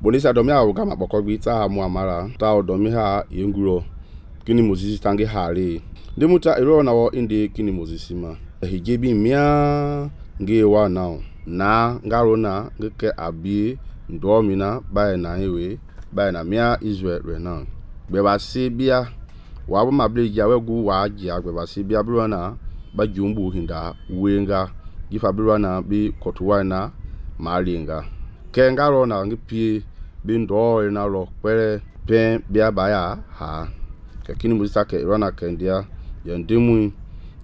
bonisa domi a gama bokogbi ta mu amara ta domi ha yenguro kini Moses tangi hale demuta ero na wo inde kini Moses ma hijebi mia nge wa now na ngarona ngeke abi ndomina ba na hewe ba na mia Israel re now be ba se bia wa ma ble ja wegu wa ja be ba se bia bro na ba jumbu hinda wenga gifa bro na bi kotuwa na malinga ke ngarona ngipie bi ndo na lo pere pen bia ba ya ha ke kini Moses ke rona kendia yandemu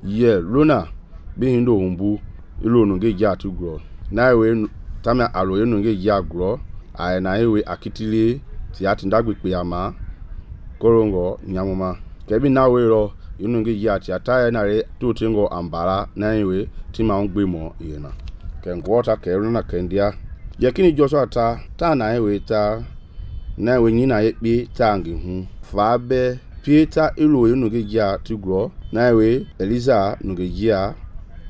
ye lona bi hindo humbu ilo no nge ja tu gro na we tamia alo ye no nge ja gro ai na ewe akitile ti ati ndagbepe ama korongo nyamuma kebi na we ro yinu nge ja ti ata na re to tingo ambara na ewe ti ma ngbe mo yena ke ngwota ke rona kendia yakini Joshua ta na ewe ta na we nyina yepi ta ngi hu fa be Peter ilo yinu nge ja tu gro na ewe Eliza nge ja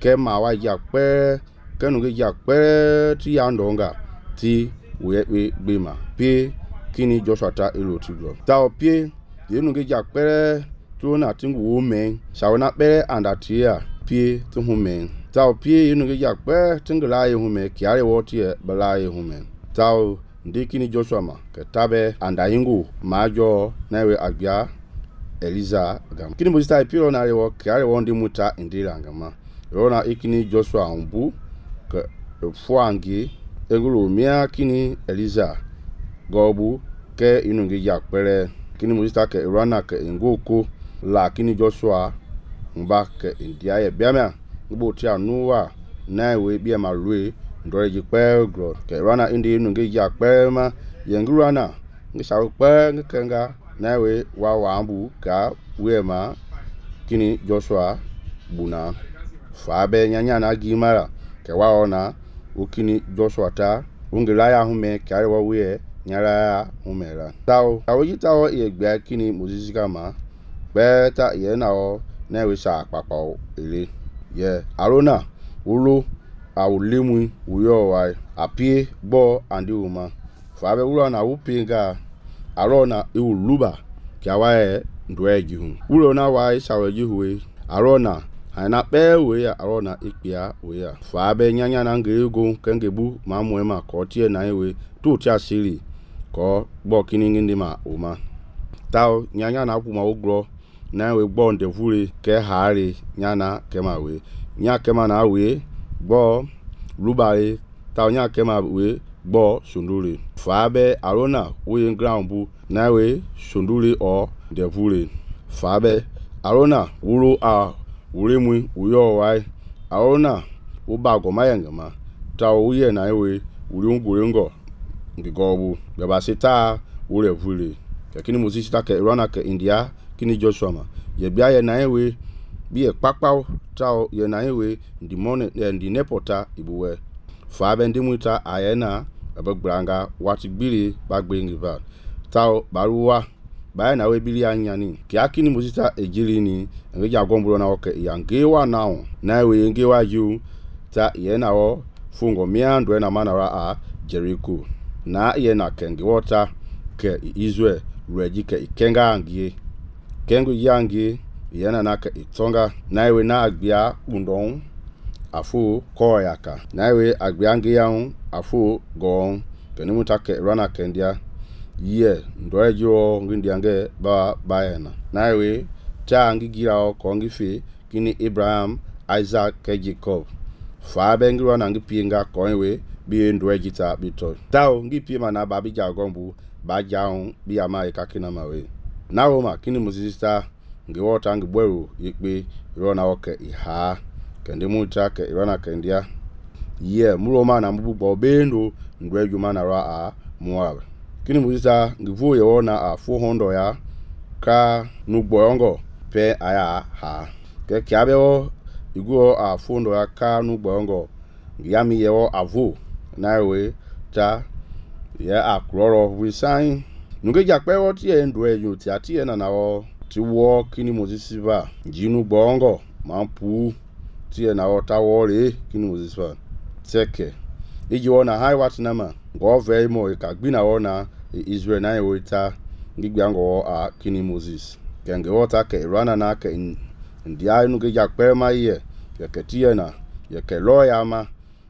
ke ma wa ja pe ke nge ja pe ti ya ndonga ti we gbema pe kini Joshua ta ilo tu gro ta opie yinu nge ja pe tu na tingu wo men shawana pe anda tia pie tu hu men ta opie yinu nge ja pe tingla ye hu men kiare wo tie bala ye hu men ta ndi kini Joshua ma ke tabe anda yingu majo na we agbia Eliza gam kini Moses ta piro na rewo kiare wo ndi muta indira ngama rona ikini Joshua umbu ke fuangi egulu mia kini Eliza gobu ke inu ngi yakpere kini Moses ta ke rona ke ngoko la kini Joshua mba ke india ye biamia ngbo ti anuwa na we bia ma lue ndoreji pe gro ke rona indi inu ngi yakpere ma yengurana ngi sa pe ngenga na we wa ambu ka we ma kini Joshua buna fa be nyanya na gimara ke wa ona ukini Joshua ta ungela ya hume kare wa we nyara humera tawo awoji tawo ye gba kini Moses kama beta ye na o na we sha papa ele ye arona ulo awulemu uyo wa apie gbo andi uma fa be ulo na upinga arona iuluba kya wa e ndweji hu ulo na wa shaweji huwe arona haina pe we ya arona ikpia we ya fa be nyanya na ngego kengebu ma muema ko tie na ewe tu tia siri ko gbo kini ngindi ma uma taw nyanya na ku ma ogro na we gbo ndevure ke haare nyana kema we nya kema na we gbo lubare taw nya kema we gbo sundure fa be arona we ground bu na we sundure o devure fa be arona wuro a uremu uyo wai aona ubago mayangama ta uye na ewe uriungurengo ngigobu beba sita ure vule lakini Moses ta ke rona ke India kini Joshua ma ye bia ye na ewe bi e pakpaw ta ye na ewe ndi mone ndi nepota ibuwe fa be ndi muta ayena abagranga wati gbiri bagbe ngiva ta baruwa ba na we bili anyani ki akini Moses ta ejili ni nge ja gombro na oke ya ngewa now na we ngewa ju ta ye na o fungo miando na manara a Jericho na ye na kenge water ke Israel reji ke ikenga angie kengu yangi ye na ke itonga na we na agbia undon afu koyaka na we agbia ngiyan afu gon kenimu ta ke rana kendia ye ndorejo ngindiange ba bayena nawe ta ngigira o kongife kini Abraham Isaac ke Jacob fa bengira na ngipienga konwe bi ndorejita bito taw ngipie mana ba bi jagombu ba jaun bi ama ikakina mawe nawo ma kini Moses ta ngiwota ngibweru yekpe rona oke iha kende muta ke rona kendia ye muloma na mbubo bendo ndreju mana ra a Moab kini Moses ngivu ye wona a 400 ya ka nugbongo pe aya ha ke kiabeo iguo a 400 ya ka nugbongo ngiyami ye wo avo nawe ta ye akroro we sign nuge jakpe wo tie ndwe yu ti atie na nawo ti wo kini Moses ba jinu gbongo mampu tie na wo ta wo re kini Moses ba teke iji wona hai wat na ma ngõ ve mo ka gbina wo na Israel na ye ta ngigba ngo a kini Moses ke nge wo ta ke rana na ke ndia nu ge ja pe ma ye ke tie na ye ke lo ya ma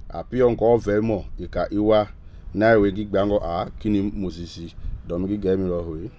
a pio ngo ve mo ka iwa na ye gigba ngo a kini Moses do mi ge mi lo hui